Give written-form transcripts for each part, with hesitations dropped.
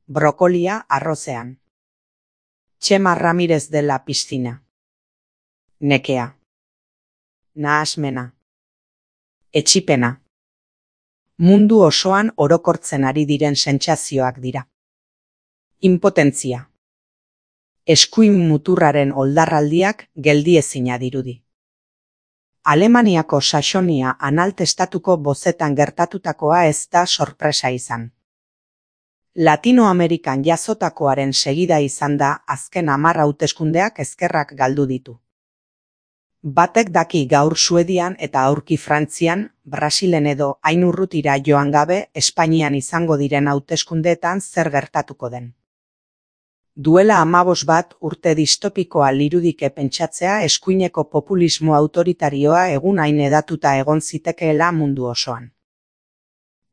brokolia arrozean. Txema Ramirez de la Piscina. Nekea. Nahasmena. Etxipena. Mundu osoan orokortzen ari diren sentsazioak dira. Impotentzia. Eskuin muturraren oldarraldiak geldiezina dirudi. Alemaniako Saxonia Analtestatuko bozetan gertatutakoa ez da sorpresa izan. Latinoamerikan jazotakoaren segida izan da azken 10 hauteskundeak ezkerrak galdu ditu. Batek daki gaur Suedian eta aurki Frantzian, Brasilen edo hain urrutira joan gabe Espainian izango diren hauteskundeetan zer gertatuko den. Duela 15 urte distopikoa lirudike pentsatzea eskuineko populismo autoritarioa egun hain edatuta egon zitekeela mundu osoan.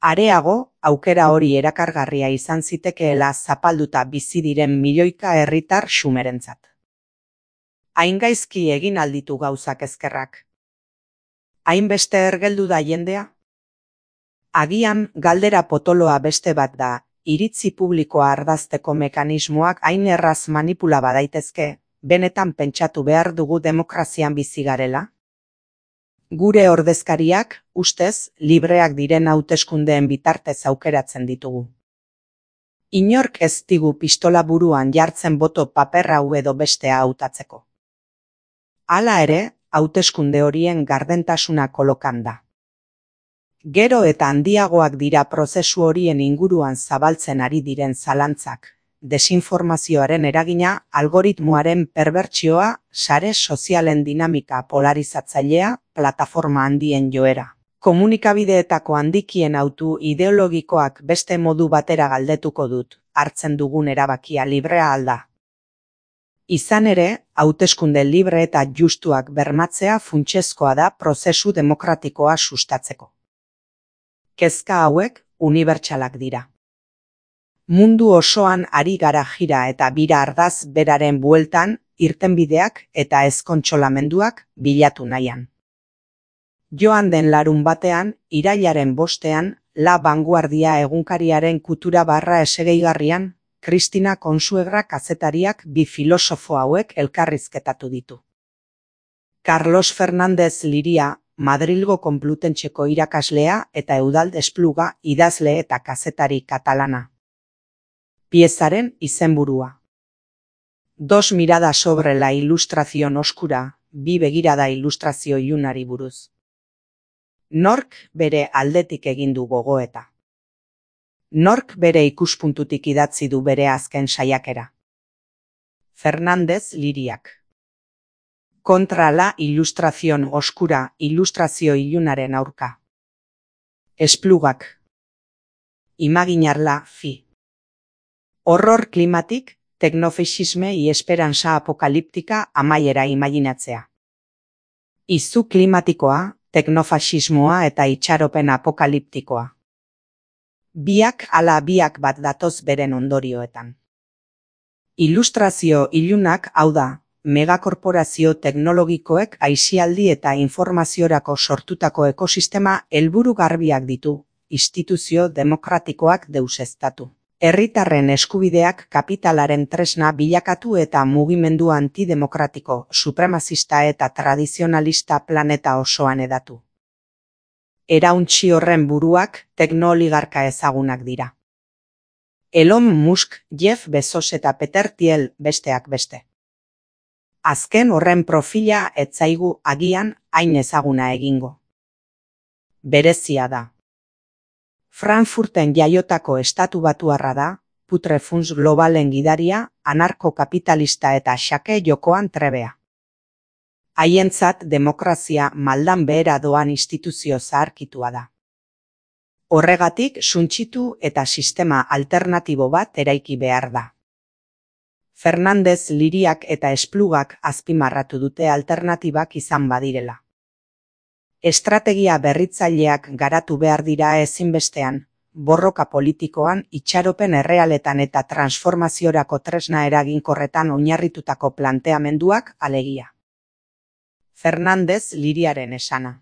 Areago, aukera hori erakargarria izan zitekeela zapalduta bizi diren milioika herritar xumerentzat. Hain gaizki egin alditu gauzak ezkerrak. Hainbeste ergeldu da jendea? Agian galdera potoloa beste bat da, iritzi publikoa ardazteko mekanismoak hain erraz manipula badaitezke, benetan pentsatu behar dugu demokrazian bizi garela? Gure ordezkariak, ustez, libreak diren hauteskundeen bitartez aukeratzen ditugu. Inork ez digu pistola buruan jartzen boto paper hau edo bestea hautatzeko. Hala ere, hauteskunde horien gardentasuna kolokan da. Gero eta handiagoak dira prozesu horien inguruan zabaltzen ari diren zalantzak, desinformazioaren eragina, algoritmoaren perbertsioa, sare sozialen dinamika polarizatzailea, plataforma handien joera. Komunikabideetako handikien autu ideologikoak beste modu batera galdetuko dut, hartzen dugun erabakia librea alda. Izan ere, hauteskunde libre eta justuak bermatzea funtsezkoa da prozesu demokratikoa sustatzeko. Kezka hauek unibertsalak dira. Mundu osoan ari gara jira eta bira ardaz beraren bueltan, irtenbideak eta ezkontsolamenduak bilatu nahian. Joan den larunbatean, irailaren 5ean, La Vanguardia egunkariaren kutura barra esegeigarrian, Cristina Consuegra kazetariak bi filosofo hauek elkarrizketatu ditu. Carlos Fernández Liria, Madrilgo Konplutentxeko irakaslea eta Eudald Espluga idazle eta kazetari katalana. Piezaren izenburua. Dos miradas sobre la ilustración oscura, bi begirada ilustrazio ilunari buruz. Nork bere aldetik egin du gogoeta. Nork bere ikuspuntutik idatzi du bere azken saiakera. Fernández Liriak. Contra la ilustración oscura, ilustrazio ilunaren aurka. Esplugak. Imaginarla fi. Horror klimatik, teknofeixisme y esperanza apokaliptika amaiera imaginatzea. Izu klimatikoa, teknofaxismoa eta itxaropen apokaliptikoa. Biak ala biak bat datoz beren ondorioetan. Ilustrazio ilunak hau da, megakorporazio teknologikoek aisialdi eta informaziorako sortutako ekosistema helburu garbiak ditu, instituzio demokratikoak deuseztatu. Herritarren eskubideak kapitalaren tresna bilakatu eta mugimendu antidemokratiko, supremazista eta tradizionalista planeta osoan edatu. Erauntsi horren buruak teknooligarka ezagunak dira. Elon Musk, Jeff Bezos eta Peter Thiel besteak beste. Azken horren profila ez zaigu agian hain ezaguna egingo. Berezia da. Frankfurten jaiotako estatubatuarra da, Putrefunds globalen gidaria, anarko-kapitalista eta xake jokoan trebea. Haientzat demokrazia maldan behera doan instituzio zaharkitua da. Horregatik suntsitu eta sistema alternatibo bat eraiki behar da. Fernández Liriak eta Esplugak azpimarratu dute alternatibak izan badirela. Estrategia berritzaileak garatu behar dira ezinbestean, borroka politikoan, itxaropen errealetan eta transformaziorako tresna eraginkorretan oinarritutako planteamenduak alegia. Fernández Liriaren esana.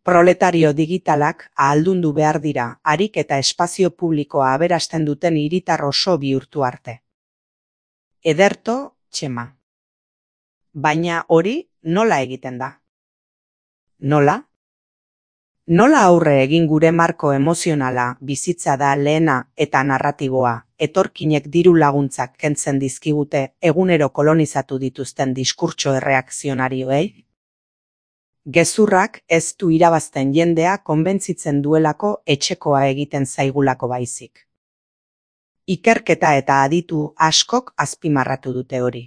Proletario digitalak ahaldundu behar dira, harik eta espazio publikoa aberasten duten hiritar oso bihurtu arte. Ederto, Txema. Baina hori nola egiten da? Nola? Nola aurre egin gure marko emozionala, bizitza da lehena eta narratiboa, etorkinek diru laguntzak kentzen dizkigute egunero kolonizatu dituzten diskurtso erreakzionarioei? Gezurrak ez du irabazten jendea konbentzitzen duelako etxekoa egiten zaigulako baizik. Ikerketa eta aditu askok azpimarratu dute hori.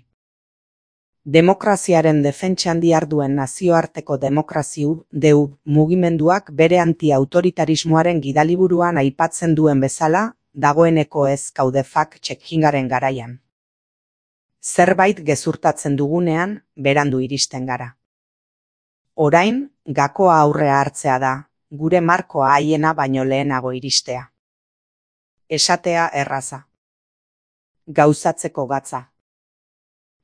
Demokraziaren defentsan diharduen nazioarteko demokraziu deu mugimenduak bere anti-autoritarismoaren gidaliburuan aipatzen duen bezala, dagoeneko ez gaude fact-checkingaren garaian. Zerbait gezurtatzen dugunean, berandu iristen gara. Orain, gakoa aurrea hartzea da, gure markoa haiena baino lehenago iristea. Esatea erraza. Gauzatzeko gatza.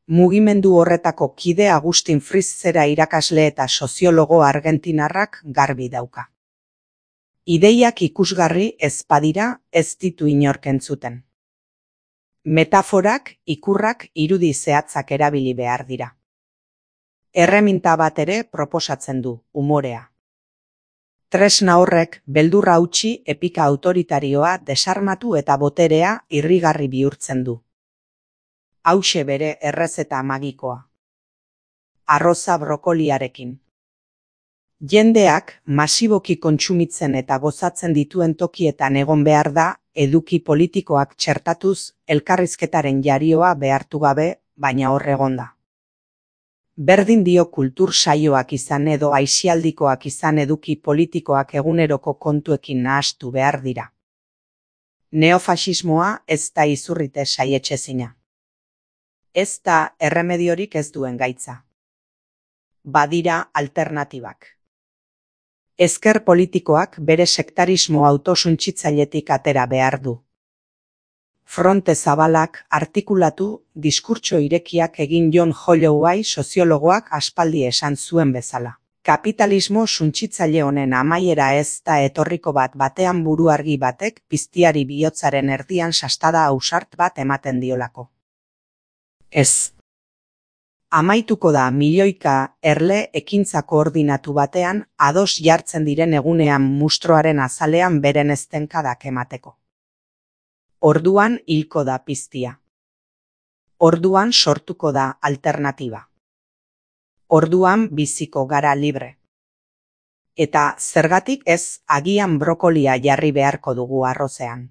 Mugimendu horretako kide Agustin Fritzera irakasle eta soziologo argentinarrak garbi dauka. Ideiak ikusgarri ez badira ez ditu inork entzuten. Metaforak, ikurrak, irudi zehatzak erabili behar dira. Erreminta bat ere proposatzen du, umorea. Tresna horrek beldurra utzi epika autoritarioa desarmatu eta boterea irrigarri bihurtzen du. Hauxe bere errezeta magikoa. Arroza brokoliarekin. Jendeak masiboki kontsumitzen eta gozatzen dituen tokietan egon behar da, eduki politikoak txertatuz elkarrizketaren jarioa behartu gabe, baina hor egonda. Berdin dio kultur saioak izan edo aisialdikoak izan eduki politikoak eguneroko kontuekin nahastu behar dira. Neofasismoa ez da izurrite saietxezina. Ez da erremediorik ez duen gaitza. Badira alternatibak. Ezker politikoak bere sektarismo autosuntsitzailetik atera behar du. Fronte zabalak artikulatu diskurtso irekiak egin John Holloway soziologoak aspaldi esan zuen bezala. Kapitalismo suntsitzaile honen amaiera ez da etorriko bat batean buru argi batek piztiari bihotzaren erdian sastada ausart bat ematen diolako. Ez. Amaituko da milioika erle ekintza koordinatu batean ados jartzen diren egunean mustroaren azalean beren eztenkadak emateko. Orduan hilko da piztia. Orduan sortuko da alternatiba. Orduan biziko gara libre. Eta zergatik ez agian brokolia jarri beharko dugu arrozean.